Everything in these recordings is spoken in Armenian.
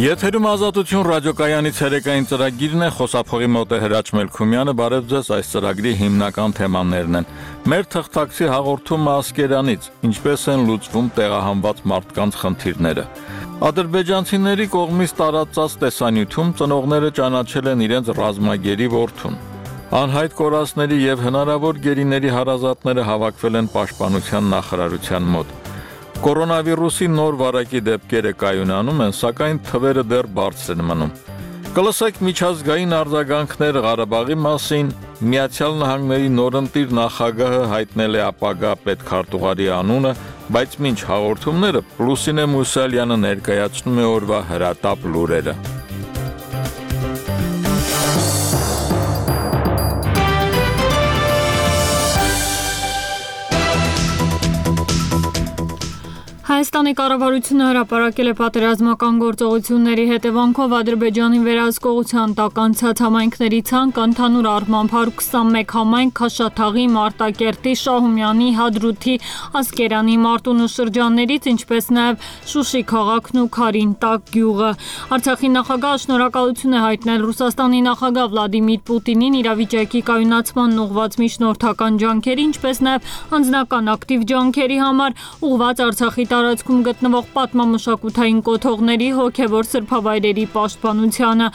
Եթերում ազատություն ռադիոկայանից հերեկային ծրագիրն է, խոսափողի մոտ է Հրաչ Մելքումյանը, բարև ձեզ, այս ծրագրի հիմնական թեմաներն են։ Մեր թղթակցի հաղորդումը Ասկերանից, ինչպես են լուծվում տեղահանված մարդկանց խնդիրները։ Ադրբեջանցիների կողմից տարածած տեսանյութում ծնողները ճանաչել են իրենց ռազմագերի որդուն։ Անհայտ կորածների եւ հնարավոր գերիների հարազատները հավաքվել են Պաշտպանության նախարարության մոտ։ Կորոնավիրուսի նոր վարակի դեպքերը կայունանում են, սակայն թվերը դեռ բարձր են մնում։ Կլսեք միջազգային արձագանքներ Ղարաբաղի մասին, Միացյալ Նահանգների նորընտիր նախագահը հայտնել է ապագա պետքարտուղարի անունը, բայց մինչ հաղորդումները Լուսինե Մուսալյանը ներկայացնում է օրվա հրատապ լուրերը։ Հայաստանի կառավարությունը հրապարակել է պատերազմական գործողությունների հետևանքով Ադրբեջանի վերահսկողության տակ անցած համայնքների ցանկ, ընդհանուր առմամբ 121 համայնք Քաշաթաղի, Մարտակերտի, Շահումյանի, Հադրութի, Ասկերանի, Մարտունու շրջաններից, ինչպես նաև Շուշի քաղաքն ու Քարինտակ գյուղը։ Արցախի նախագահը շնորհակալություն է հայտնել Ռուսաստանի նախագահ Վլադիմիր Պուտինին իրավիճակի կայունացման ուղղված միջնորդական ջանքերի, ինչպես նաև անձնական ակտիվ ջանքերի համար, ուղղված Արցախի տարածքում գտնվող պատմամշակութային կոթողների հոգևոր սրբավայրերի պաշտպանությանը։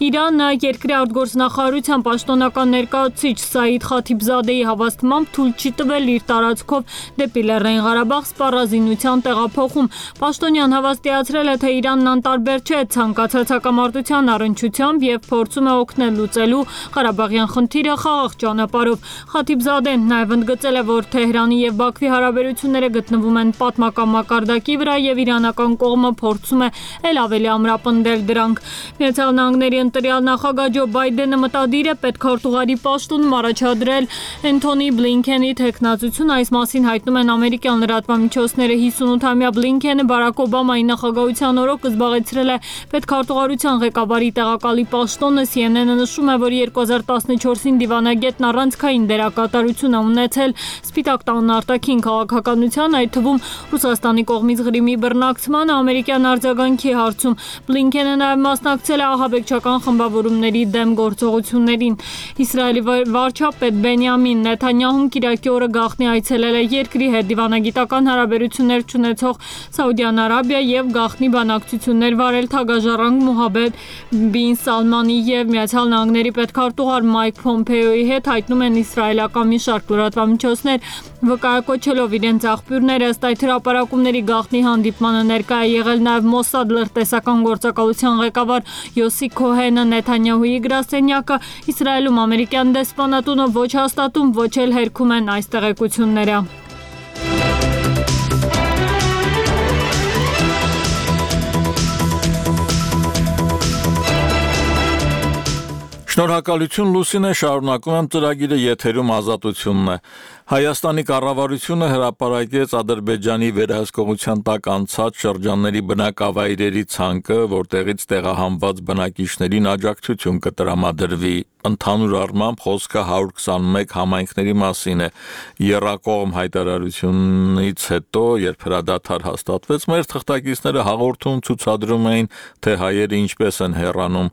Իրանը երկրի արտգործնախարարության պաշտոնական ներկայացուցիչ Սաիդ Խաթիբզադեի հավաստմամբ թույլ չի տվել իր տարածքով դեպի Լեռնային Ղարաբաղ սպառազինության տեղափոխում։ Պաշտոնյան հավաստիացրել է, թե Իրանն անտարբեր չէ ցանկացած հակամարտության առնչությամբ եւ փորձում է օգնել լուծելու Ղարաբաղյան խնդիրը խաղաղ ճանապարհով։ Խաթիբզադեն նաև ընդգծել է, որ Թեհրանի եւ Բաքվի հարաբերությունները գտնվում են պատմական մակարդակի վրա եւ իրանական կողմը փորձում է ել ավելի ամրապնդել դրանք։ Միացյալ Նահանգների ընտրյալ նախագահ Ջո Բայդենը մտադիր է պետքարտուղարի պաշտոնում առաջադրել Էնթոնի Բլինքենի թեկնածություն, այս մասին հայտնում են ամերիկյան լրատվամիջոցները։ 58-ամյա Բլինքենը Բարաք Օբամայի նախագահության օրոք զբաղեցրել է պետքարտուղարության ղեկավարի տեղակալի պաշտոնը։ CNN-ը նշում է, որ 2014-ին դիվանագետն առանցքային դերակատարություն է ունեցել Սպիտակ տան արտաքին քաղաքականության, այդ թվում Ռուսաստանի կողմից Ղրիմի բռնակցման ամերիկյան արձագանքի հարցում։ Բլինքենը նաև մասնակցել է ահաբեկչական խմբավորումների դեմ գործողություններին։ Իսրայելի վարչապետ Բենյամին Նեթանյահուն կիրակի օրը գաղտնի այցելել է երկրի հետ դիվանագիտական հարաբերություններ չունեցող Սաուդյան Արաբիա եւ գաղտնի բանակցություններ վարել թագաժառանգ Մոհամմեդ բին Սալմանի եւ Միացյալ Նահանգների պետքարտուղար Մայք Փոմպեոյի հետ, հայտնում են իսրայելական մի շարք լրատվամիջոցներ, վկայակոչելով իրենց աղբյուրները։ Ըստ այդ հրապարակումների գաղտնի հանդիպմանը ներկա է եղել նաև Մոսադ լրտեսական գործակալության ղեկավար Յոսի Քոհենը։ Նեթանյահուի գրասենյակը Իսրայելում ամերիկյան դեսպանատունը ոչ հաստատում, ոչ էլ հերքում են այս տեղեկությունները։ Շնորհակալություն Լուսինե, շարունակում եմ ծրագիրը, եթերում ազատությունն է։ Հայաստանի կառավարությունը հրապարակեց Ադրբեջանի վերահսկողության տակ անցած շրջանների բնակավայրերի ցանկը, որտեղից տեղահանված բնակիչներին աջակցություն կտրամադրվի։ Ընդհանուր առմամբ խոսքը 121 համայնքների մասին է։ Եռակողմ հայտարարությունից հետո, երբ հրադադար հաստատվեց, մեր թղթակիցները հաղորդում ցուցադրում էին, թե հայերը ինչպես են հեռանում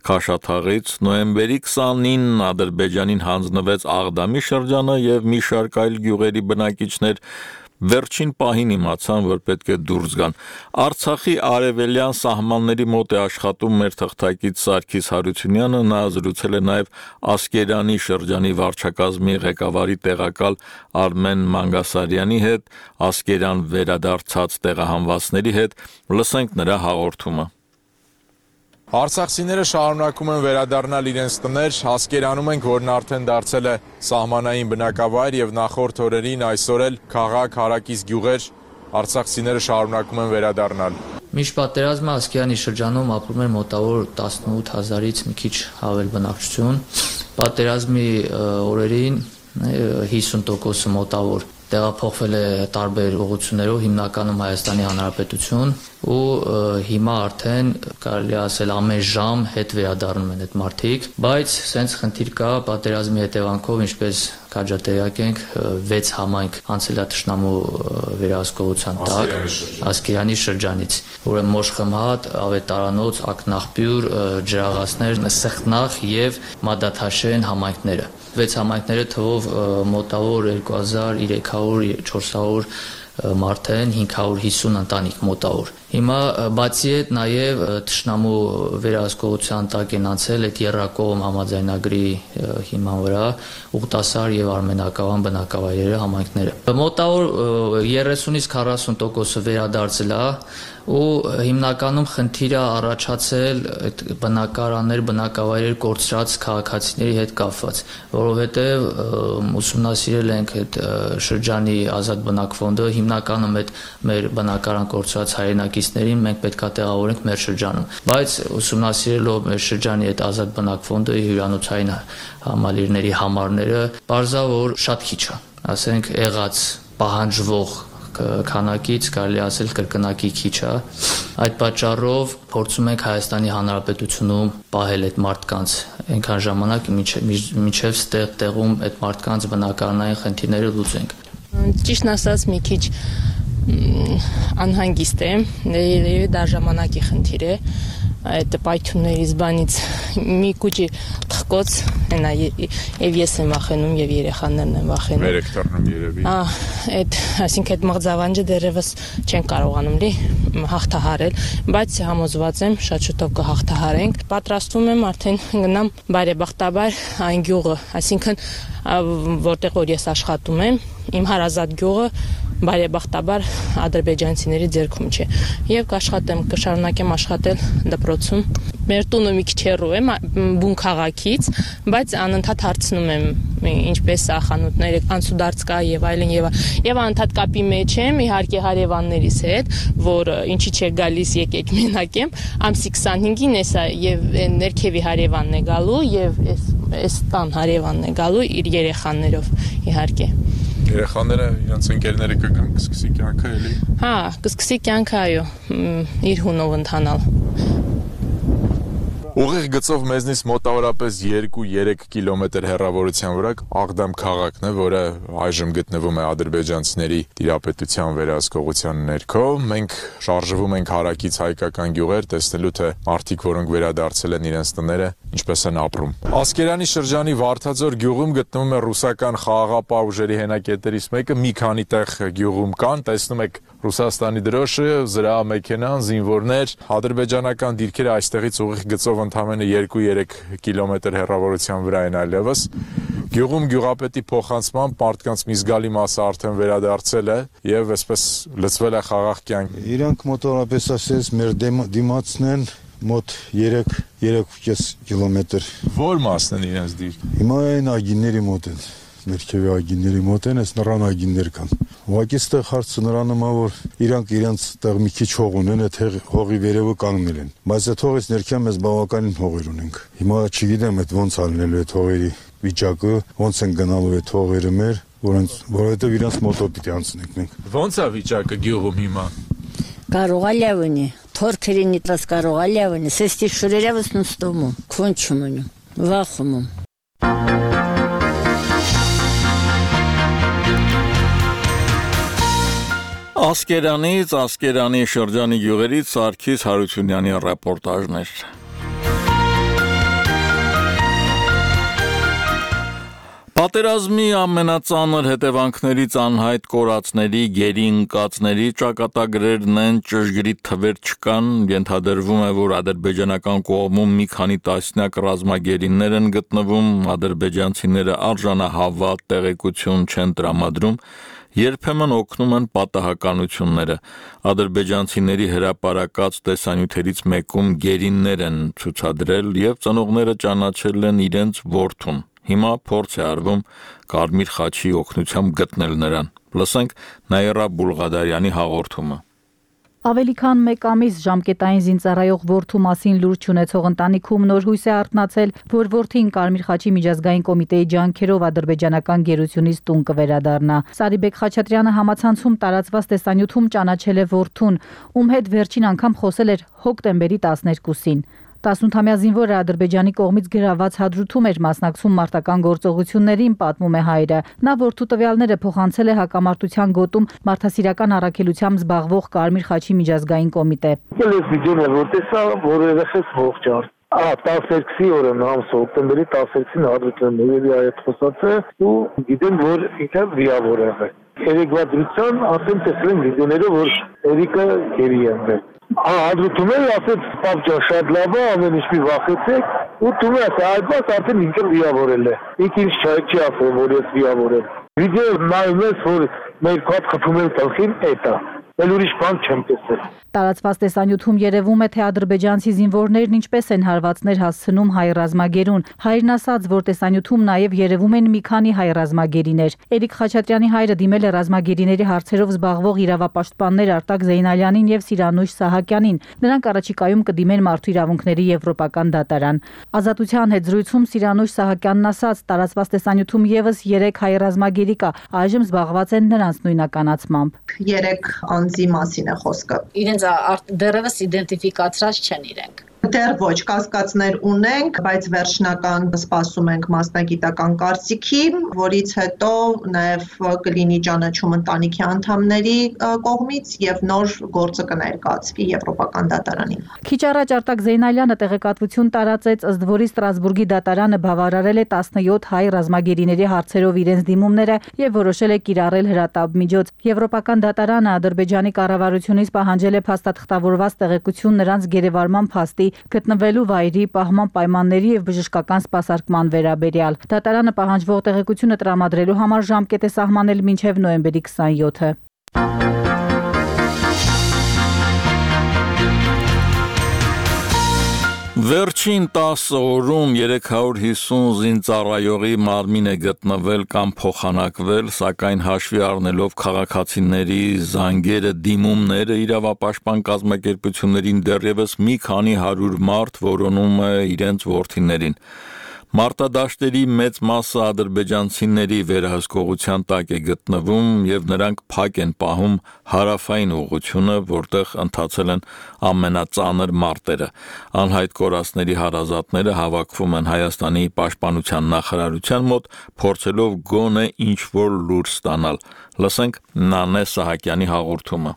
Քաշաթաղից։ Նոյեմբերի 29-ին Ադրբեջանին հանձնվեց Աղդամի շրջանը եւ մի շարք այլ գյուղերի բնակիչներ վերջին պահին իմացան, որ պետք է դուրս գան։ Արցախի արևելյան սահմանների մոտ է աշխատում մեր թղթակից Սարգիս Հարությունյանը, նա զրուցել է նաև Ասկերանի շրջանի վարչակազմի ղեկավարի տեղակալ Արմեն Մանգասարյանի հետ, Ասկերան վերադարձած տեղահանվածների հետ։ Լսենք նրա հաղորդումը։ Արցախցիները շարունակում են վերադառնալ իրենց տներ, Ասկերանում ենք, որն արդեն դարձել է սահմանային բնակավայր եւ նախորդ օրերին այսօր էլ քաղաք, հարակից գյուղեր, արցախցիները շարունակում են վերադառնալ։ Մինչ պատերազմը Ասկերանի շրջանում ապրում էր մոտավոր 18000-ից մի քիչ ավել բնակչություն, պատերազմի օրերին 50% մոտավոր տեղափոխվել է տարբեր ուղղություններով, հիմնականում Հայաստանի Հանրապետություն, ու հիմա արդեն կարելի ասել ամեն ժամ հետ վերադառնում են այդ մարդիկ, բայց սենց խնդիր կա պատերազմի հետևանքով, ինչպես քաջատեղյակ ենք 6 համայնք անցել է թշնամու վերահսկողության տակ Ասկերանի շրջանից, ուրեմն Մոշխմհատ, Ավետարանոց, Ակնաղբյուր, Ջրաղացներ, Սխտնախ եւ Մադաթաշեն համայնքները։ 6 համայնքները թվով մոտավոր 2300-400 մարդ են, 550 ընտանիք մոտավոր։ Հիմա բացի այդ նաև թշնամու վերահսկողության տակ են անցել այդ Եռակողմ համաձայնագրի հիման վրա Ուղտասար եւ Արմենակավան բնակավայրերը համայնքները։ Մոտավոր 30-ից 40% վերադարձել է ու հիմնականում խնդիրը առաջացել այդ բնակարաններ, բնակավայրեր կորցրած քաղաքացիների հետ կապված, որովհետև ուսումնասիրել ենք այդ շրջանի ազատ բնակ ֆոնդը, հիմնականում այդ մեր բնակարան կորցրած հայրենակիցներին մենք պետք է տեղավորենք մեր շրջանում, բայց ուսումնասիրելով մեր շրջանի այդ ազատ բնակ ֆոնդը հյուրանոցային համալիրների համարները, բարձա որ շատ քիչ է, ասենք եղած պահանջվող քանակից կարելի ասել կրկնակի քիչ է։ Այդ պատճառով փորձում ենք Հայաստանի Հանրապետությունում պահել այդ մարդկանց այնքան ժամանակ, մինչև ստեղ տեղում այդ մարդկանց բնակարանային խնդիրները լուծենք։ Ճիշտն ասած մի քիչ անհանգիստ եմ, երևի դա ժամանակի խնդիր է, այդ պայթյուններից բանից մի քուչի թխկոց հենա եւ ես եմ վախենում եւ երեխաներն են վախենում։ Վերեք դառնում երևի։ Այդ այսինքն այդ մղձավանջը դեռևս չեն կարողանում լի հաղթահարել, բայց համոզված եմ շատ շուտով կհաղթահարենք։ Պատրաստվում եմ արդեն գնամ բարեբախտաբար այն գյուղը, այսինքն որտեղ որ ես աշխատում եմ, իմ հարազատ գյուղը բարեբախտաբար ադրբեջանցիների ձեռքում չէ եւ կշարունակեմ աշխատել դպրոցում։ Մեր տունը մի քիչ հեռու է բուն քաղաքից, բայց անընդհատ հարցնում եմ ինչպես է խանութները, անցուդարձ կա եւ այլն եւ անընդհատ կապի մեջ եմ իհարկե հարևաններիս հետ, որ ինչի չէ գալիս եկեք մենակ եմ, ամսի 25-ին էսա եւ ներքևի հարևանն է գալու եւ այս տան հարևանն է գալու իր երեխաներով իհարկե։ Երեխաները իրենց ընկերները կգան, կսկսի կյանքը էլի։ Հա, կսկսի կյանքը այո, իր հունով ընթանալ։ Ուղիղ գծով մեզնից մոտավորապես 2-3 կիլոմետր հեռավորության վրա Աղդամ քաղաքն է, որը այժմ գտնվում է ադրբեջանցիների տիրապետության վերահսկողության ներքո։ Մենք շարժվում ենք հարակից հայկական գյուղեր, տեսնելու թե մարդիկ, որոնք վերադարձել են իրենց տները, ինչպես են ապրում։ Ասկերանի շրջանի Վարդաձոր գյուղում գտնվում է ռուսական խաղաղապահ ուժերի հենակետերից մեկը, մի քանի տեղ գյուղում կան, տեսնում եք Ռուսաստանի դրոշը, զրահամեքենան, զինվորներ, ադրբեջանական դիրքերը այստեղից ուղիղ գծով ընդամենը 2-3 կիլոմետր հեռավորության վրա են այլևս։ Գյուղում գյուղապետի փոխանցմամբ մարդկանց մի զգալի մասը արդեն վերադարձել է եւ այսպես լցվել է խաղաղ կյանք։ Իրանք մոտավորապես ասես մեր դիմացն են մոտ 3-3.5 կիլոմետր։ Որ մասն են իրենց դիր։ Հիմա այն ագինների մոտ են, ներքևի ագինների մոտ են, այս նռան ագիններ կան։ Ուղղակի ստեղ հարցը նրանում է, որ իրանք իրենց տեղ մի քիչ հող ունեն, այդ հողի վերևը կանգնել են։ Բայց այդ հողից ներքև մեզ բավականին հողեր ունենք։ Հիմա չգիտեմ այդ ոնց ալնելու այդ հողերի վիճակը, ոնց են գնալու այդ հողերը մեր, որովհետև իրանց մոտով պիտի անցնենք մենք։ Ոնց է վիճակը գյուղում հիմա։ Կարող է լավնի, թորքերին իտրած կարող է լավնի, սեստի շուրերավս նստում, քոնչում ունում, վախում։ Ասկերանից, Ասկերանի շրջանի գյուղերից Սարգիս Հարությունյանի ռեպորտաժներ։ Պատերազմի ամենածանր հետևանքներից անհայտ կորածների, գերի ընկածների ճակատագրերն են, ճշգրիտ թվեր չկան, ենթադրվում է, որ ադրբեջանական կողմում մի քանի տասնյակ ռազմագերիներ են գտնվում, ադրբեջանցիները արժանահավատ տեղեկություն չեն տրամադրում, երբեմն օգնում են պատահականությունները, ադրբեջանցիների հրապարակած տեսանյութերից մեկում գերիններ են ցուցադրել և ծնողները ճանաչել են իրենց որդուն, հիմա փորձ է արվում Կարմիր խաչի օգնությամբ գտնել նրան, լսենք Նաիրա Բուլղադարյանի հաղորդումը։ Ավելի քան մեկ ամիս ժամկետային զինծառայող որդու մասին լուրջ ունեցող ընտանիքում նոր հույս է արթնացել, որ որդին Կարմիր խաչի միջազգային կոմիտեի ջանքերով ադրբեջանական գերությունից տուն կվերադառնա։ Սարիբեկ Խաչատրյանը համացանցում տարածված տեսանյութում ճանաչել է որդուն, ում հետ վերջին անգամ խոսել էր հոկտեմբերի 12-ին։ 18-ամյա զինվորը Ադրբեջանի կողմից գրաված հադրութում էր մասնակցում մարտական գործողություններին, պատմում է հայրը։ Նա որդու տվյալները փոխանցել է հակամարտության գոտում մարդասիրական առաքելությամբ զբաղվող Կարմիր խաչի միջազգային կոմիտե։ Տասերքսի օրը նամս օկտեմբերի 16-ին հադրութում նույնի այդ խոսացը ու գիտեմ, որ ինքը վիրավոր է։ Երեկվա դրության ասեմ տեսել եմ վիդեոները, որ Էրիկը գերի է։ Հադրութում էլ ասեց պապ շատ լավ է, ամեն ինչ մի վախեցեք ու դու ես այդպես արդեն ինքը վիրավորել է։ Ինքը ինչ չի ասել, որ ես վիրավոր եմ։ Վիդեո նայում ես, որ մեր կապ խփում են տալքին էտա։ Էլ ուրիշ բան չեմ տեսել։ Տարածված տեսանյութում երևում է, թե ադրբեջանցի զինվորներն ինչպես են հարվածներ հասցնում հայ ռազմագերուն։ Հայրն ասաց, որ տեսանյութում նաև երևում են մի քանի հայ ռազմագերիներ։ Էրիկ Խաչատրյանի հայրը դիմել է ռազմագերիների հարցերով զբաղվող իրավապաշտպաններ Արտակ Զեյնալյանին եւ Սիրանույշ Սահակյանին։ Նրանք առաջիկայում կդիմեն Մարդու իրավունքների Եվրոպական դատարան։ Ազատության հետ զրույցում Սիրանույշ Սահակյանն ասաց, տարածված տեսանյութում եւս 3 հայ ռազմագերի կա, այժմ զբաղված են նրանց նույնականացմամբ։ 3 անձի մասին է խոսքը։ Իրենց դեռևս իդենտիֆիկացրած չեն իրենք։ Դեռ ոչ, կասկածներ ունենք, բայց վերջնական սպասում ենք մասնագիտական կարծիքի, որից հետո նաև կլինի ճանաչում ընտանիքի անդամների կողմից եւ նոր գործը կներկայացվի Եվրոպական դատարանին։ Քիչ առաջ Արտակ Զեյնալյանը տեղեկատվություն տարածեց, ըստ որի Ստրասբուրգի դատարանը բավարարել է 17 հայ ռազմագերիների հարցերով իրենց դիմումները եւ որոշել է կիրառել հրատապ միջոց։ Եվրոպական դատարանը Ադրբեջանի կառավարությունից պահանջել է փաստաթղթավորված տեղեկություն նրանց գերեվարման փաստի, գտնվելու վայրի, պահման պայմանների եւ բժշկական սպասարկման վերաբերյալ։ Դատարանը պահանջվող տեղեկությունը տրամադրելու համար ժամկետ է սահմանել մինչեւ նոյեմբերի 27-ը։ Վերջին 10 օրում 350 զինծառայողի մարմին է գտնվել կամ փոխանակվել, սակայն հաշվի առնելով քաղաքացիների զանգերը, դիմումները, իրավապաշտպան կազմակերպություններին դեռևս մի քանի 100 մարդ որոնում է իրենց որդիներին։ Մարտադաշտերի մեծ մասը ադրբեջանցիների վերահսկողության տակ է գտնվում եւ նրանք փակ են պահում հարավային ուղղությունը, որտեղ ընթացել են ամենածանր մարտերը։ Անհայտ կորածների հարազատները հավաքվում են Հայաստանի պաշտպանության նախարարության մոտ, փորձելով գոնե ինչ-որ լուր ստանալ։ Լսենք Նանե Սահակյանի հաղորդումը։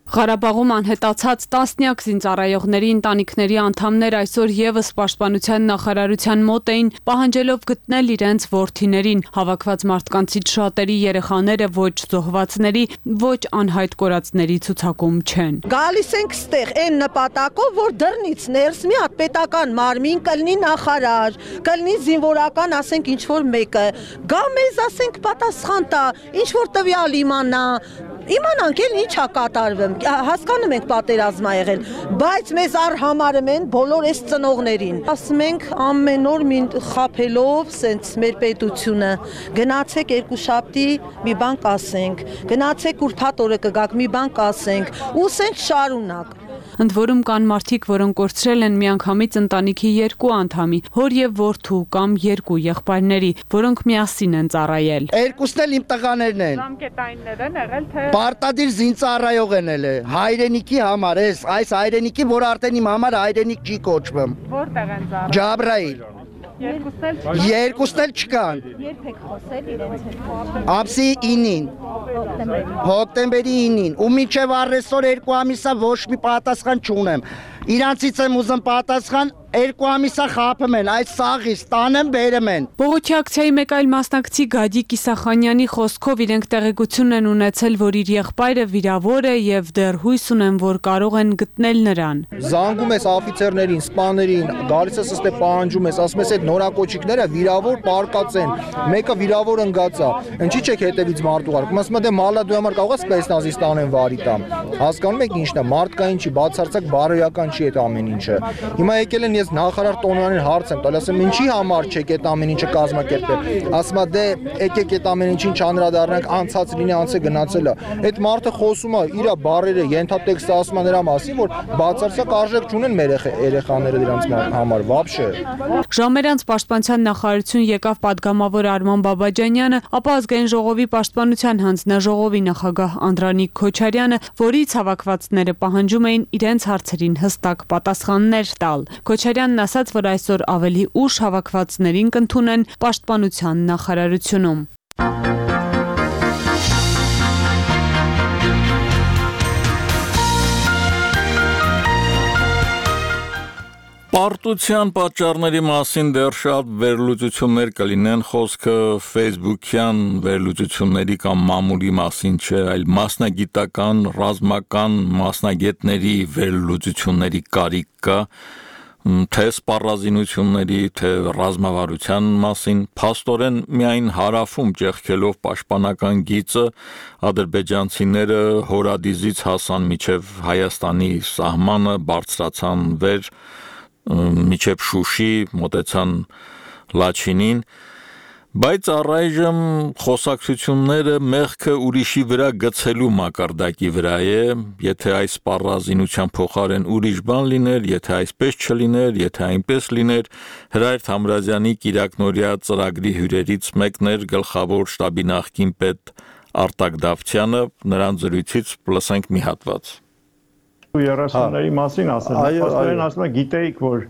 Ղարաբաղում անհետացած տասնյակ զինծառայողների ընտանիքների անդամներ այսօր եւս պաշտպանության նախարարության մոտ էին, պահանջելով գտնել իրենց որդիներին։ Հավաքված մարդկանցից շատերի երեխաները ոչ զոհվածների, ոչ անհայտ կորածների ցուցակում չեն։ Գալիս ենք ստեղ այն նպատակով, որ դռնից ներս մի հատ պետական մարմին կլինի նախարար, կլինի զինվորական, ասենք ինչ որ մեկը, գա մեզ ասենք պատասխան տա, ինչ որ տվյալ իմանա, իմանանք էլ ինչ է կատարվում, հասկանում ենք պատերազմ ա եղել, բայց մեզ արհամարում են բոլոր այս ծնողներին։ Ասում ենք ամեն օր խաբելով սենց մեր պետությունը, գնացեք երկուշաբթի մի բան կասենք, գնացեք ուրբաթ օրը կգաք մի բան կասենք, ու սենց շարունակ։ Ընդ որում կան մարդիկ, որոնք կորցրել են միանգամից ընտանիքի 2 անդամի, հոր եւ որդու կամ 2 եղբայրների, որոնք միասին են ծառայել։ Երկուսն էլ իմ տղաներն են։ Ժամկետայիններ են եղել, թե պարտադիր զինծառայող են ել։ Հայրենիքի համար, այս հայրենիքի, որ արդեն իմ համար հայրենիք չի կոչվում։ Որտեղ են ծառայել։ Ջաբրայիլ։ Երկուսն էլ չկան։ Երբ եք խոսել իրենց հետ։ Ամսի 9-ին։ Հոկտեմբերի 9-ին։ Ու մինչև առեսօր 2 ամիսա ոչ մի պատասխան չունեմ։ Իրանցից եմ ուզում պատասխան, 2 ամիսա խափում են, այս սաղից տանեմ բերեմ են։ Բողոքի ակցիայի մեկ այլ մասնակցի Գադիկ Իսախանյանի խոսքով իրենք տեղեկություն են ունեցել, որ իր եղբայրը վիրավոր է եւ դեռ հույս ունեն, որ կարող են գտնել նրան։ Զանգում ես աֆիցերներին, սպաներին, գալիս ես ըստե պահանջում ես, ասում ես այդ նորակոչիկները վիրավոր պարկած են, մեկը վիրավոր ընկած է, ինչի՞ չեք հետևից մարդ ուղարկում, ասում եմ դե մալա դու համար կարող ես սպեցնազից տանեն վարի տամ։ Հասկանում եք ինչն է, մարդկային չի, բացարձակ բարոյական չի այդ ամեն ինչը։ Հիմա եկել են ես ես նախարար Տոնյանին հարց եմ տալ, ասեմ ինչի համար չեք այդ ամեն ինչը կազմակերպել։ Ասում է դե եկեք այդ ամեն ինչին չանդրադառնանք, անցած լինի, անցը գնացել է։ Այդ մարդը խոսում է իր բառերը, ենթատեքստը ասում է նրա մասին, որ բացարձակ արժեք չունեն մեր երեխաները դրանց համար, вообще։ Ժամեր անց Պաշտպանության նախարարություն եկավ պատգամավոր Արման Բաբաջանյանը, ապա ազգային ժողովի պաշտպանության հանձնաժողովի նախագահ Անդրանիկ Քոչարյանը, որից հավաքվածները պահանջում էին իրենց հարցերին հստակ պատասխաններ տալ։ Քոչարյանն ասաց, որ այսօր ավելի ուշ հավաքվածներին կընդունեն Պաշտպանության նախարարությունում։ Պարտության պատճառների մասին դեռ շատ վերլուծություններ կլինեն, խոսքը Facebook-յան վերլուծությունների կամ մամուլի մասին չէ, այլ մասնագիտական, ռազմական մասնագետների վերլուծությունների կարիք կա, թե սպառազինությունների, թե ռազմավարության մասին, փաստորեն միայն հարավում ճեղքելով պաշտպանական գիծը ադրբեջանցիները հորադիզից հասան մինչև Հայաստանի սահմանը, բարձրացան վեր միջև Շուշի, մոտեցան Լաչինին, բայց առայժմ խոսակցությունները մեղքը ուրիշի վրա գցելու մակարդակի վրա է, եթե այս սպառազինության փոխարեն ուրիշ բան լիներ, եթե այսպես չլիներ, եթե այնպես լիներ, Հրայր Թամրազյանի կիրակնօրյա ծրագրի հյուրերից մեկն էր գլխավոր շտաբի նախկին պետ Արտակ Դավթյանը, նրան զրույցից լսենք մի հատված։ 30-ների մասին ասել, փաստորեն ասում է գիտեիք, որ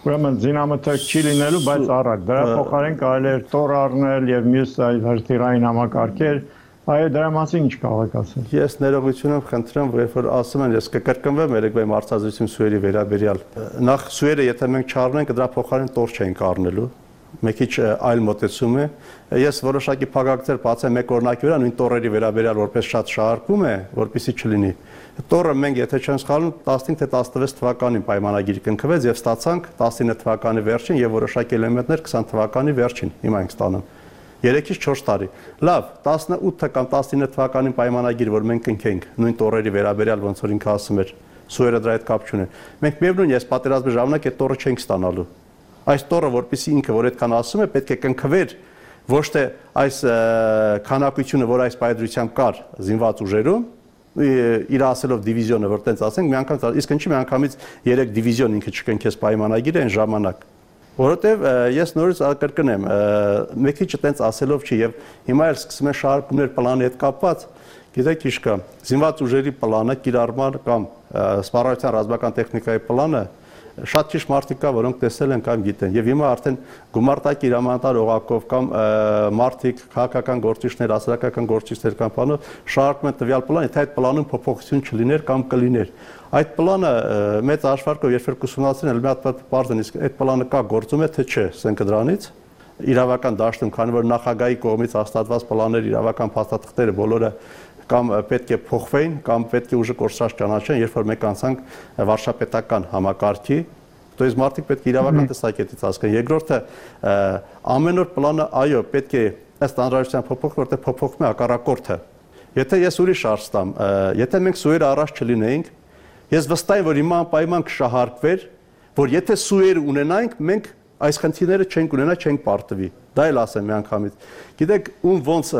ուրեմն զինամթերք չի լինելու, բայց առակ դրա փոխարեն կարելի էր տոր առնել եւ մյուս հրթիռային համակարգեր, այո դրա մասին ինչ կարող եք ասել։ Ես ներողություն խնդրեմ, որ ասում են, ես կկրկնվեմ երեկվա մարզազրույցում սուերի վերաբերյալ։ Նախ սուերը եթե մենք չառնենք, դրա փոխարեն տոր չենք առնելու։ Մեկ քիչ այլ մոտեցում է։ Ես որոշակի փակագծեր բացեմ մեկ օրինակի վրա, նույն տորերի վերաբերյալ որպես շատ շահարկում է, որպեսզի չլինի։ Տորը մենք եթե չենք սխալվում 15 թե 16 թվականին պայմանագիր կնքվեց եւ ստացանք 19 թվականի վերջին եւ որոշակի էլեմենտներ 20 թվականի վերջին։ Հիմա ենք ստանում 3-ից 4 տարի։ Լավ, 18 կամ 19 թվականին պայմանագիր, որ մենք կնքենք նույն տորերի վերաբերյալ ոնց որ ինքը ասում էր, սուերը դրա հետ կապ չունեն։ Մենք միևնույն ես պատերազմի ժամանակ այդ տորը չենք ստանալու։ Այս տորը որպեսզի ինքը որ այդքան ասում է, պետք է կնքվեր ոչ թե այս քանակությունը, որ այս պայծրությամբ կար զինված ուժերում, իր ասելով դիվիզիոնը, որ տենց ասենք, մի անգամ, իսկ ինչի մի անգամից 3 դիվիզիոն ինքը չկնքես պայմանագիրը այն ժամանակ։ Որովհետև ես նորից կրկնեմ, մեկ քիչ տենց ասելով չի եւ հիմա էլ սկսում են շարունակումներ պլանի հետ կապված, գիտեք ինչ կա, զինված ուժերի պլանը, կիրառման կամ սպառազինության ռազմական տեխնիկայի պլանը շատ քիչ մարդիկ կա, որոնք տեսել են կամ գիտեն։ Եվ հիմա արդեն գումարտակի հրամանատար օղակով կամ մարդիկ, քաղաքական գործիչներ, հասարակական գործիչներ կամ բանով շարունակում են տվյալ պլանը, թե այդ պլանում փոփոխություն չլիներ կամ կլիներ։ Այդ պլանը մեծ հաշվարկով երբ ուսումնասիրեն, մի հատ բարձր իսկ այդ պլանը կա, գործում է թե չէ, սենքը դրանից իրավական դաշտում, քանի որ նախագահի կողմից հաստատված պլաններ, իրավական փաստաթղթերը բոլորը կամ պետք է փոխվեին, կամ պետք է ուժը կորսրած ճանաչեն, երբ որ մենք անցանք վարչապետական համակարգի, то есть մարդիկ պետք է իրավական տեսակետից հասկանան։ Երկրորդը ամեն օր պլանը, այո, պետք է ըստ անհրաժեշտության փոփոխվի, որտեղ փոփոխվում է հակառակորդը։ Եթե ես ուրիշ հարց տամ, եթե մենք սուերը առաջ չլինեինք, ես վստահ եմ, որ հիմա անպայման կշահարկվեր, որ եթե սուեր ունենայինք, մենք այս խնդիրները չենք ունենա, չենք պարտվի։ Դա էլ ասեմ մի անգամից։ Գիտեք, ում ոնց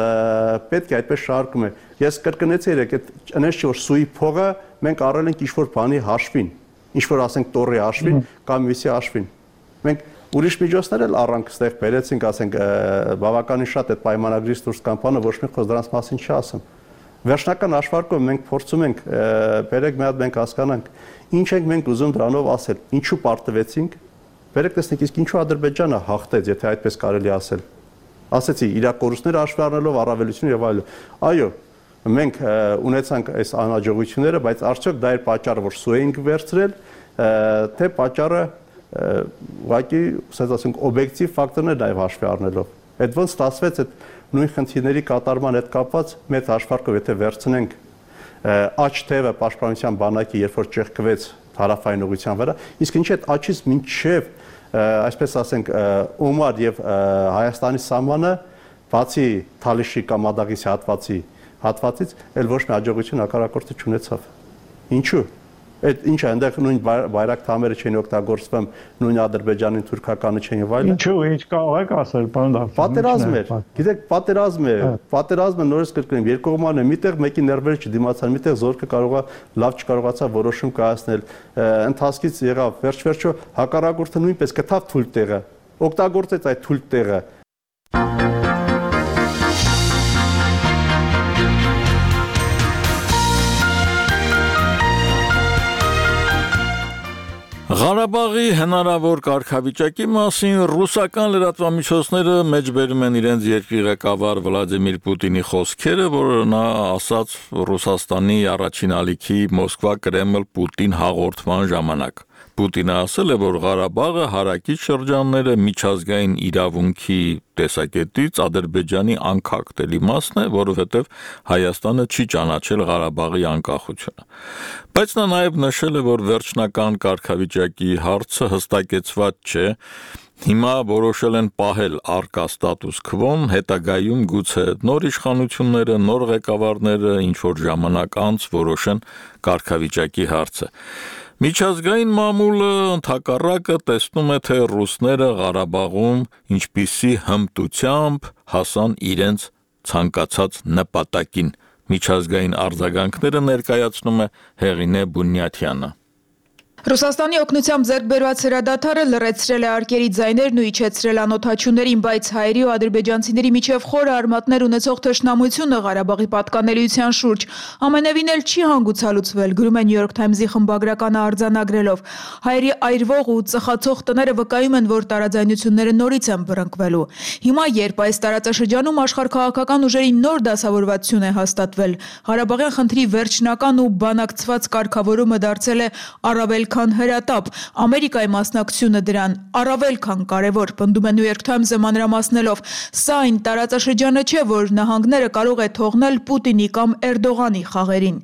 պետք է այդպես շարքում է։ Ես կրկնեցի երեք, այդ այնպես չէ որ սուի փողը մենք առել ենք ինչ-որ բանի հաշվին, ինչ-որ ասենք տորի հաշվին կամ մյուսի հաշվին։ Մենք ուրիշ միջոցներ էլ առանք ստեղ բերեցինք, ասենք բավականին շատ այդ պայմանագրից դուրս կան բանը, ոչ մի խոսք դրանց մասին չասեմ։ Վերջնական հաշվարկով մենք փորձում ենք բերեք մի հատ մենք հասկանանք, ինչ ենք մենք ուզում դրանով ասել, ինչու պարտվեցինք։ Վերեք տեսնեք, իսկ ինչու Ադրբեջանը հաղթեց, եթե այդպես կարելի ասել։ Ասեցի, իր կորուստները հաշվի առնելով առավելություն եւ այլն։ Այո, մենք ունեցանք այս անհաջողությունները, բայց արդյոք դա էր պատճառը, որ սու էինք վերցրել, թե պատճառը ուղղակի, ասած ասենք, օբյեկտիվ ֆակտորներ նաեւ հաշվի առնելով։ Այդ ոնց ստացվեց այդ նույն խնդիրների կատարման հետ կապված մեծ հաշվարկով, եթե վերցնենք աչ թևը պաշտպանության բանակի, երբ որ ճեղքվեց հարավային ուղղության վրա, իսկ ինչ այդ աչից մինչև այսպես ասենք Օմար եւ Հայաստանի սահմանը բացի Թալիշի կամ Ադաղիսի հատվածից էլ ոչ մի հաջողություն հակառակորդը չունեցավ։ Ինչու՞։ Այդ ինչ է, այնտեղ նույն բայրակթամերը չեն օգտագործվում, նույն Ադրբեջանի թուրքականը չեն եւ այլն։ Ինչու, ինչ կարող եք ասել, պարոն Դավթ։ Պատերազմ էր։ Գիտեք, պատերազմը նորից կրկնեմ, երկկողմանը միտեղ մեկի ներվերը չդիմացան, միտեղ զորքը կարողա լավ չկարողացավ որոշում կայացնել։ Ընթացքից եղավ վերջ-վերջո հակառակորդը նույնպես գտավ թույլ տեղը, օգտագործեց այդ թույլ տեղը։ Ղարաբաղի հնարավոր կարգավիճակի մասին ռուսական լրատվամիջոցները մեջբերում են իրենց երկրի ղեկավար Վլադիմիր Պուտինի խոսքերը, որը նա ասաց Ռուսաստանի առաջին ալիքի Մոսկվա-Կրեմլ-Պուտին հաղորդման ժամանակ։ Պուտինը ասել է, որ Ղարաբաղը հարակից շրջանները միջազգային իրավունքի տեսակետից Ադրբեջանի անկախտելի մասն է, որովհետև Հայաստանը չի ճանաչել Ղարաբաղի անկախությունը։ Բայց նա նաև նշել է, որ վերջնական կարգավիճակի հարցը հստակեցված չէ, հիմա որոշել են պահել առկա ստատուս քվոն, հետագայում գուցե նոր իշխանությունները, նոր ղեկավարները ինչ-որ ժամանակ անց որոշեն կարգավիճակի հարցը։ Միջազգային մամուլը ընդհակառակը տեսնում է, թե ռուսները Ղարաբաղում ինչպիսի հմտությամբ հասան իրենց ցանկացած նպատակին։ Միջազգային արձագանքները ներկայացնում է Հեղինե Բունյաթյանը։ Ռուսաստանի օգնությամբ ձեռք բերված հրադադարը լռեցրել է արկերի ձայներն ու իջեցրել անօթաչուներին, բայց հայերի ու ադրբեջանցիների միջև խորը արմատներ ունեցող թշնամությունը Ղարաբաղի պատկանելիության շուրջ ամենևին էլ չի հանգուցալուծվել, գրում է New York Times-ի խմբագրականը արձանագրելով։ Հայերի այրվող ու ծխացող տները վկայում են, որ տարաձայնությունները նորից են բռնկվելու։ Հիմա, երբ այս տարածաշրջանում աշխարհքաղաքական ուժերի նոր դասավորվածություն է հաստատվել, Ղարաբաղյան խնդրի վերջնական ու բանակցված կարգավորումը դարձել է առավել քան հրատապ, Ամերիկայի մասնակցությունը դրան առավել քան կարևոր, պնդում է New York Times-ը մանրամասնելով։ Սա այն տարածաշրջանը չէ, որ նահանգները կարող է թողնել Պուտինի կամ Էրդողանի խաղերին։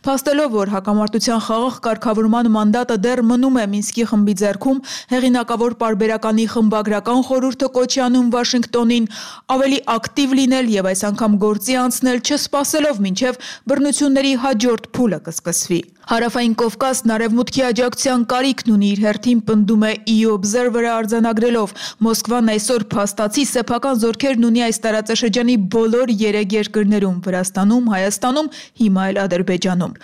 Փաստելով, որ հակամարտության խաղաղ կարգավորման մանդատը դեռ մնում է Մինսկի խմբի ձեռքում, հեղինակավոր պարբերականի խմբագրական խորհուրդը կոչ է անում Վաշինգտոնին ավելի ակտիվ լինել եւ այս անգամ գործի անցնել, չսպասելով մինչեւ բռնությունների հաջորդ փուլը կսկսվի։ Հարավային Կովկասն արևմուտքի աջակցության կարիքն ունի իր հերթին, պնդում է EU Observer-ը արձանագրելով։ Մոսկվան այսօր փաստացի սեփական զորքերն ունի այս տարածաշրջանի բոլոր 3 երկրներում՝ Վրաստանում, Հայաստանում, հիմա էլ Ադրբեջանում։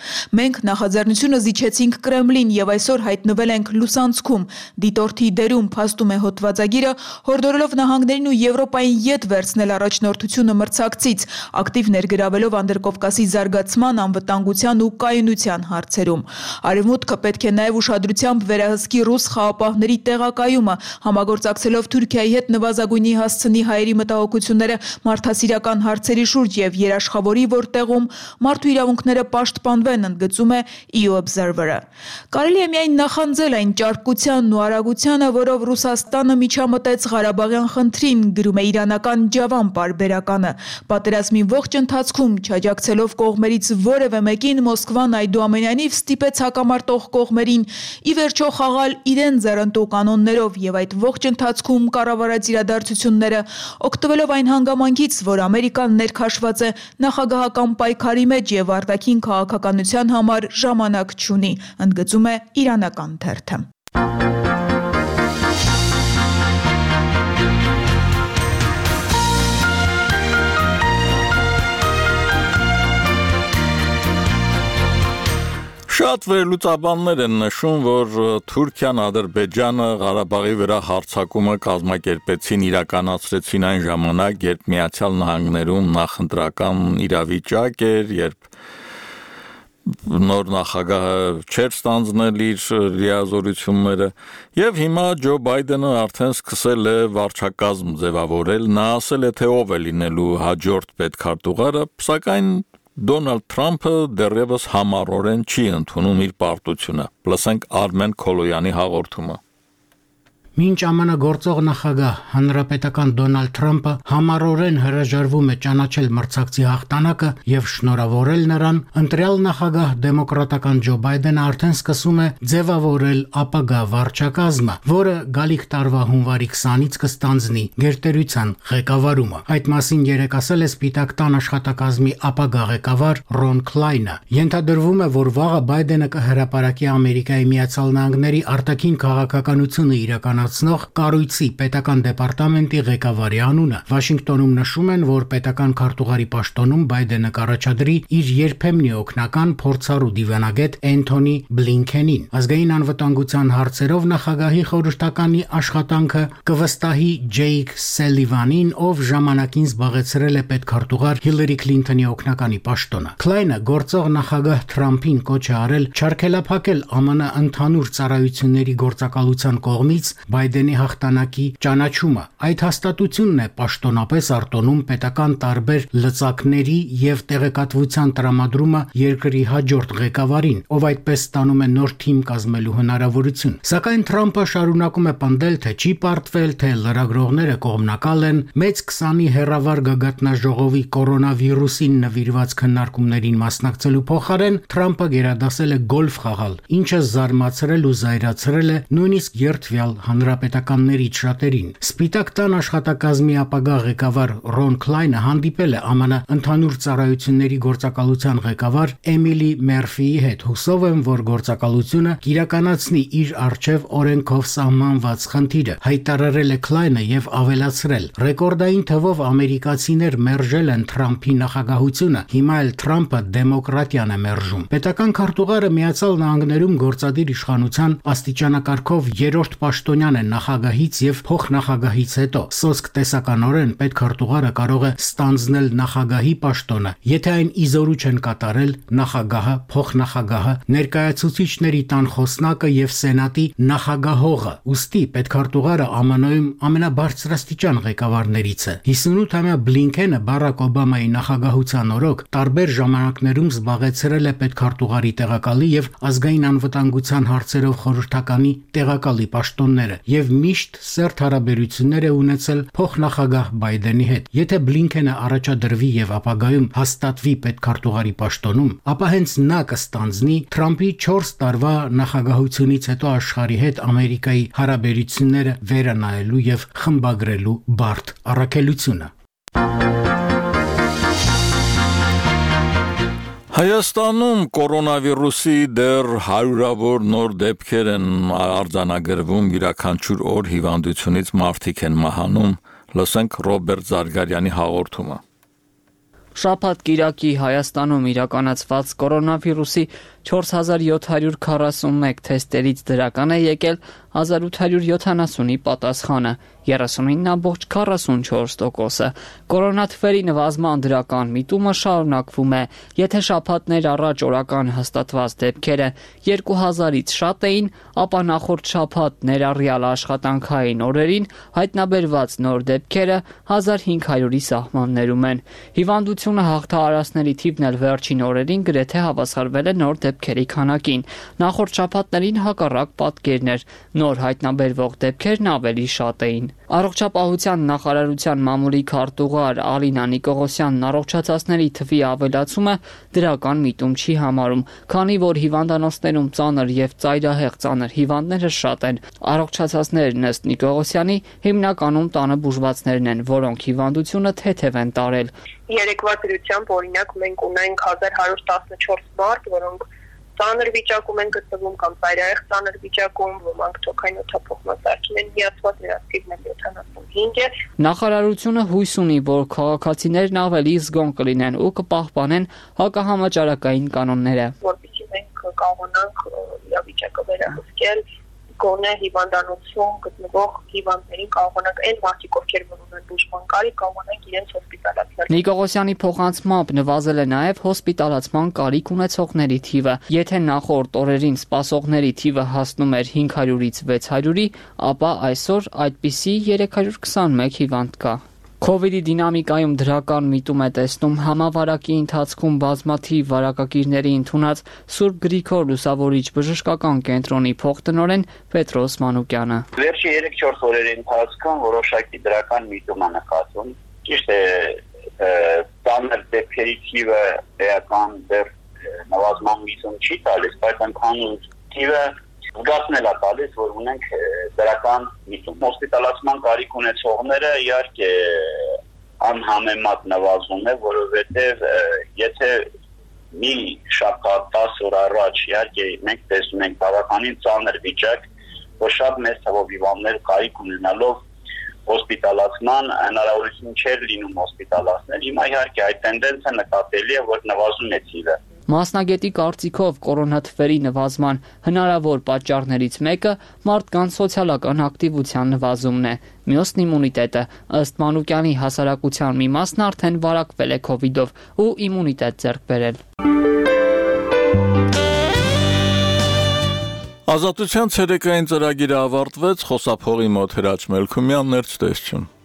Մենք նախաձեռնությունը զիջեցինք Կրեմլին եւ այսօր հայտնվել ենք լուսանցքում։ Դիտորդի դերում, փաստում է հոդվածագիրը, հորդորելով նահանգներին ու Եվրոպային յետ վերցնել առաջնորդությունը մրցակցից, ակտիվ ներգրավելով Անդրկովկասի զարգացման, անվտանգության ու կայունության հարցերում։ Արևմուտքը պետք է նաև ուշադրությամբ վերահսկի ռուս խաղապահների տեղակայումը, համագործակցելով Թուրքիայի հետ նվազագույնի հասցնի հայերի մտահոգությունները մարդասիրական հարցերի շուրջ եւ երաշխավորի, որտեղում մարդու իրավունքները պաշտպանվեն, ընդգծում է EU Observer-ը։ Կարելի է միայն նախանձել այն ճարպկությանն ու արագությանը, որով Ռուսաստանը միջամտեց Ղարաբաղյան խնդրին, գրում է իրանական Ջավան պարբերականը։ Պատերազմի ողջ ընթացքում չաջակցելով կողմերից որևէ մեկին, Մոսկվան այդուամենայնիվ ստիպեց հակամարտող կողմերին ի վերջո խաղալ իրեն ձեռնտու կանոններով եւ այդ ողջ ընթացքում կառավարած իրադարձությունները, օգտվելով այն հանգամանքից, որ Ամերիկան ներքաշված է նախագահական պայքարի մեջ եւ արտաքին քաղաքականության համար ժամանակ չունի, ընդգծում է իրանական թերթը։ Շատ վերլուծաբաններ են նշում, որ Թուրքիան, Ադրբեջանը Ղարաբաղի վրա հարձակումը կազմակերպեցին, իրականացրեցին այն ժամանակ, երբ Միացյալ Նահանգներում նախընտրական իրավիճակ էր, երբ նոր նախագահը չէր ստանձնել իր լիազորությունները, եւ հիմա Ջո Բայդենը արդեն սկսել է վարչակազմ ձևավորել, նա ասել է, թե ով է լինելու հաջորդ պետքարտուղարը, սակայն Դոնալդ Թրամփը դեռևս համառորեն չի ընդունում իր պարտությունը։ Լսենք Արմեն Քոլոյանի հաղորդումը։ Մինչ ԱՄՆ գործող նախագահ հանրապետական Դոնալդ Թրամփը համառորեն հրաժարվում է ճանաչել մրցակցի հաղթանակը եւ շնորհավորել նրան, ընտրյալ նախագահ դեմոկրատական Ջո Բայդենը արդեն սկսում է ձևավորել ապագա վարչակազմը, որը գալիք տարվա հունվարի 20-ից կստանձնի գերտերության ղեկավարումը։ Այդ մասին երեկ ասել է Սպիտակ տան աշխատակազմի ապագա ղեկավար Ռոն Քլայնը։ Ենթադրվում է, որ վաղը Բայդենը կհրապարակի Ամերիկայի Միացյալ Նահանգների արտաքին քաղաքականությունը իրականացնող կառույցի պետական դեպարտամենտի ղեկավարի անունը։ Վաշինգտոնում նշում են, որ պետական քարտուղարի պաշտոնում Բայդենը կառաջադրի իր երբեմնի օգնական փորձառու դիվանագետ Էնթոնի Բլինքենին։ Ազգային անվտանգության հարցերով նախագահի խորհրդականի աշխատանքը կվստահի Ջեյք Սելիվանին, ով ժամանակին զբաղեցրել է պետքարտուղար Հիլարի Քլինթոնի օգնականի պաշտոնը։ Քլայնը գործող նախագահ Թրամփին կոչ է արել չարգելափակել ԱՄՆ ընդհանուր ծառայությունների գործակալության կողմից Բայդենի հաղթանակի ճանաչումը։ Այդ հաստատությունն է պաշտոնապես արտոնում պետական տարբեր լծակների եւ տեղեկատվության տրամադրումը երկրի հաջորդ ղեկավարին, ով այդպես ստանում է նոր թիմ կազմելու հնարավորություն։ Սակայն Թրամփը շարունակում է պնդել, թե չի պարտվել, թե լրագրողները կողմնակալ են, մեծ 20-ի հեռավար գագաթնաժողովի կորոնավիրուսին նվիրված քննարկումներին մասնակցելու փոխարեն Թրամփը գերադասել է գոլֆ խաղալ, ինչը զարմացրել ու զայրացրել է նույնիսկ երդվյալ հանրապետականներից շատերին։ Սպիտակ տան աշխատակազմի ապագա ղեկավար Ռոն Քլայնը հանդիպել է ԱՄՆ ընդհանուր ծառայությունների գործակալության ղեկավար Էմիլի Մերֆիի հետ, հուսով եմ, որ գործակալությունը կիրականացնի իր առջև օրենքով սահմանված խնդիրը, հայտարարել է Քլայնը եւ ավելացրել. ռեկորդային թվով ամերիկացիներ մերժել են Թրամփի նախագահությունը, հիմա էլ Թրամփը դեմոկրատիան է մերժում։ Պետական քարտուղարը Միացյալ Նահանգներում գործադիր իշխանության աստիճանակարգով երրորդ պաշտոնյան է նախագահից եւ փոխնախագահից հետո։ Սոսկ տեսականորեն պետքարտուղարը կարող է ստանձնել նախագահի պաշտոնը, եթե այն իզորու չեն կատարել նախագահը, փոխնախագահը, ներկայացուցիչների տան խոսնակը եւ սենատի նախագահողը։ Ուստի պետքարտուղարը ԱՄՆ-ում ամենաբարձրաստիճան ղեկավարներից է։ 58-ամյա Բլինքենը Բարակ Օբամայի նախագահության օրոք տարբեր ժամանակներում զբաղեցրել է պետքարտուղարի տեղակալի եւ ազգային անվտանգության հարցերով խորհրդականի տեղակալի պաշտոնները եւ միշտ սերտ հարաբերություններ է ունեցել փոխնախագահ Բայդենի հետ։ Եթե Բլինքենը առաջադրվի եւ ապագայում հաստատվի պետքարտուղարի պաշտոնում, ապա հենց նա կստանձնի Թրամփի 4 տարվա նախագահությունից հետո աշխարհի հետ Ամերիկայի հարաբերությունները վերանայելու եւ խմբագրելու բարդ առաքելությունը։ Հայաստանում կորոնավիրուսի դեռ հարյուրավոր նոր դեպքեր են արձանագրվում, յուրաքանչյուր օր հիվանդությունից մարդիկ են մահանում, լսենք Ռոբերտ Զարգարյանի հաղորդումը։ Շաբաթ կիրակի Հայաստանում իրականացված կորոնավիրուսի 4741 թեստերից դրական է եկել 1870-ի պատասխանը, 39.44%-ը։ Կորոնաթվերի նվազման դրական միտումը շարունակվում է, եթե շաբաթներ առաջ օրական հաստատված դեպքերը 2000-ից շատ էին, ապա նախորդ շաբաթ ներառյալ աշխատանքային օրերին հայտնաբերված նոր դեպքերը 1500-ի սահմաններում են։ Հիվանդությունը հաղթահարածների թիվն էլ վերջին օրերին գրեթե հավասարվել է նոր դեպքերի քանակին։ Նախորդ շաբաթներին հակառակ պատկերն էր, նոր հայտնաբերվող դեպքերն ավելի շատ էին։ Առողջապահության նախարարության մամուլի քարտուղար Ալինա Նիկողոսյանն առողջացածների թվի ավելացումը դրական միտում չի համարում, քանի որ հիվանդանոցներում ծանր եւ ծայրահեղ ծանր հիվանդները շատ են։ Առողջացածներն ըստ Նիկողոսյանի հիմնականում տանը բուժվածներն են, որոնք հիվանդությունը թեթև են տարել։ Երեկվա դրությամբ օրինակ մենք ունենք 1114 մարդ, որոնք ծանր վիճակում են գտնվում կամ ծայրահեղ ծանր վիճակում, ոմանք թոքային օդափոխմասարքին են միացված, նրանց թիվն 75 է։ Նախարարությունը հույս ունի, որ քաղաքացիներն ավելի զգոն կլինեն ու կպահպանեն հակահամաճարակային կանոնները։ Որպեսզի մենք կարողանանք իրավիճակը վերահսկել, գոնե հիվանդանոցում գտնվող հիվանդներին կարողանանք այն մարդիկ, ովքեր ունեն բուժման կարիք, կարողանանք իրենց հոսպիտալացնել։ Նիկողոսյանի փոխանցմամբ նվազել է նաև հոսպիտալացման կարիք ունեցողների թիվը։ Եթե նախորդ օրերին սպասողների թիվը հասնում էր 500-ից 600-ի, ապա այսօր այդպիսի 321 հիվանդ կա։ Կովիդի դինամիկայում դրական միտում է տեսնում համավարակի ընթացքում բազմաթիվ վարակագիրների ընդունած Սուրբ Գրիգոր Լուսավորիչ բժշկական կենտրոնի փոխտնօրեն Պետրոս Մանուկյանը։ Վերջի 3-4 օրերի ընթացքում որոշակի դրական միտում է նկատվում։ Ճիշտ է, ծանր դեպքերի թիվը էական դեռ նվազման միտում չի տալիս, բայց ընդհանուր թիվը զգացնել է տալիս, որ ունենք դրական միտում։ Հոսպիտալացման կարիք ունեցողները իհարկե անհամեմատ նվազում է, որովհետև եթե մի շաբաթ 10 օր առաջ իհարկե մենք տեսնում ենք բավականին ծանր վիճակ, որ շատ մեծ թվով հիվանդներ կարիք ունենալով հոսպիտալացման հնարավորություն չէր լինում հոսպիտալացնել։ Հիմա իհարկե այդ տենդենսը նկատելի է, որ նվազում է թիվը։ Մասնագետի կարծիքով կորոնաթվերի նվազման հնարավոր պատճառներից մեկը մարդկանց սոցիալական ակտիվության նվազումն է։ Մյուսն իմունիտետը, ըստ Մանուկյանի հասարակության մի մասն արդեն վարակվել է քովիդով ու իմունիտետ ձեռք բերել։ Ազատության ցերեկային ծրագիրը ավարտվեց, խոսափողի մոտ Հրաչ Մելքումյանն էր, ցտեսություն։